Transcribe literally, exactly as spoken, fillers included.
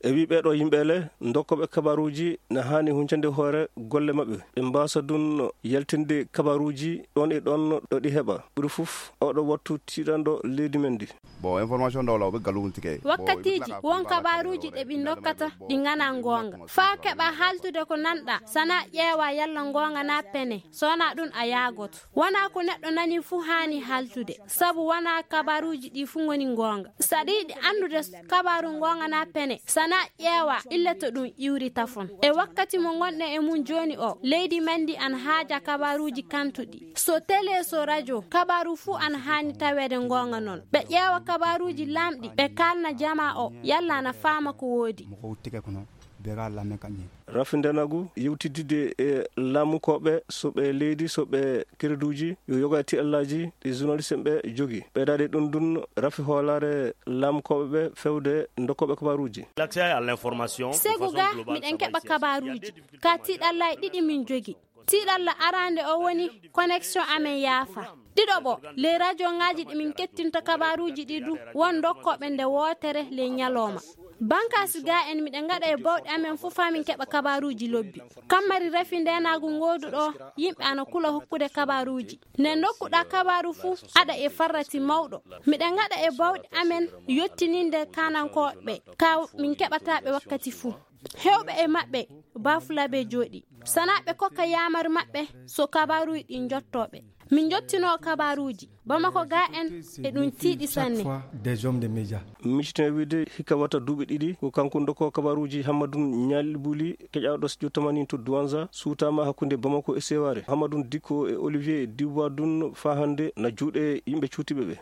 E wii ɓeeɗo yimɓe le, ndokkooɓe kabaaruuji na haani huncande hoore golle maɓɓe. Ɓe mbaasa ɗun yaltinde kabaaruuji ɗon e ɗon ɗo ɗi heɓa. Ɓuri fof, oɗo wattu tiiɗanɗo leydi men ndi. Bon, information ɗo law ɓe galluɗum tike. Wakkatiiji won kabaaruuji ɗe ɓe ndokkata ɗi nganaa ngoonga. Faa keɓa haaltude ko nanɗa, sana ƴeewa yalla ngoonga na pene. So wonaa ɗun a yaagoto. Wonaa ko neɗɗo nani fuu haani haaltude, sabu wonaa kabaaruuji ɗi fuu ngoni ngoonga. Saɗa yiɗi anndude kabaaru ngoonga na pene, sana ƴeewa ille to ɗun iwri tafon. E wakkati mo ngonɗen e mun jooni o, leydi men ndi ana haaja kabaaruuji kantuɗi. So tele, so rajo, kabaaru fuu ana haani taweede ngoonga non. Ɓe ƴeewa kabaaruuji laamɗi, ɓe kaalna jamaa o, yalla ana faama ko woodi. Mo ko wuttike kono, be ga lamen kanƴe. Rafi Ndenagu yewtidde e laamukooɓe, so ɓe leydi, so ɓe kereduuji, yo yoga e tiɗallaaji ɗi journaliste ɓe jogi. Ɓeydaade ɗun ɗun, rafi hoolaare laamukooɓe ɓe fewde ndokkooɓe kabaaruuji. L'accès à l'information de Segu façon ga, globale, miɗen ça va keɓa ici à kabaaruuji. Ka tiɗallaaji ɗiɗi min jogi. Tiɗalla araande o woni connexion amen yaafa. Ɗiɗoɓo, les radioŋaaji ɗi min kettinta kabaaruuji ɗi du, won ndokkooɓe nde wootere ley ñalooma. Bankaasi ga en miɗen ngaɗa e bawɗe amen fof faa min keɓa kabaaruuji lobbi. Kammari rafi ndeenaagu ngooduɗo, yimɓe ana kula hokkude kabaaruuji. Nde ndokkuɗaa kabaaru fuu, aɗa e farrati mawɗo. Miɗen ngaɗa e bawɗe amen yottininde kaanankooɓe, ka min keɓataa ɓe wakkati fuu. Heewɓe e maɓɓe, baafulaaɓe jooɗi. Sanaa ɓe kokka yaamar maɓɓe, so kabaaruuji ɗi njottoo ɓe. Min njottinoo kabaaruuji. Bamako ga en, e ɗum tiiɗi sanne. Des hommes de médias. Miciten wiide hikka wata duuɓi ɗiɗi, ko kanko ndokkoo kabaaruuji Hammadun Ñaali Buli, keƴaaɗo studio tamanin to Douentza, suutaama hakkunde Bamako e Seware. Hammadun Dikko e Olivier Diwadun faa hannde na juuɗe yimɓe cuutiiɓe ɓe.